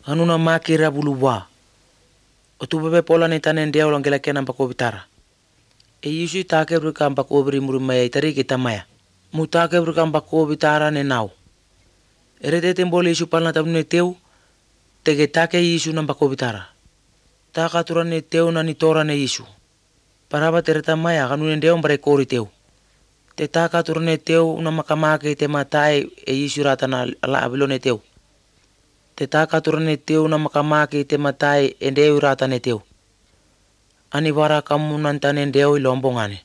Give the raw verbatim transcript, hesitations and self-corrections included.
Hanuna makira buluwa. Otupepe pola ni tane ndia ulangela kena mpako bitara. E Yesu take bruka mpako bri murumaya itari kita maya. Mutake bruka mpako bitara ne nau. Erete tembole Yesu palna tabune teu. Tege take Yesu na mpako bitara. Taka turane teu na nitora ne Yesu. Paraba tereta maya kanune ndia mbare kori teu. Te taka turane teu na makamake te matai e Yesu rata na ala abilone teu. Te taka turane teu na makamake te matai e ndeu rata ne teu. Ani wara kamu nantane ndeu ilombongane.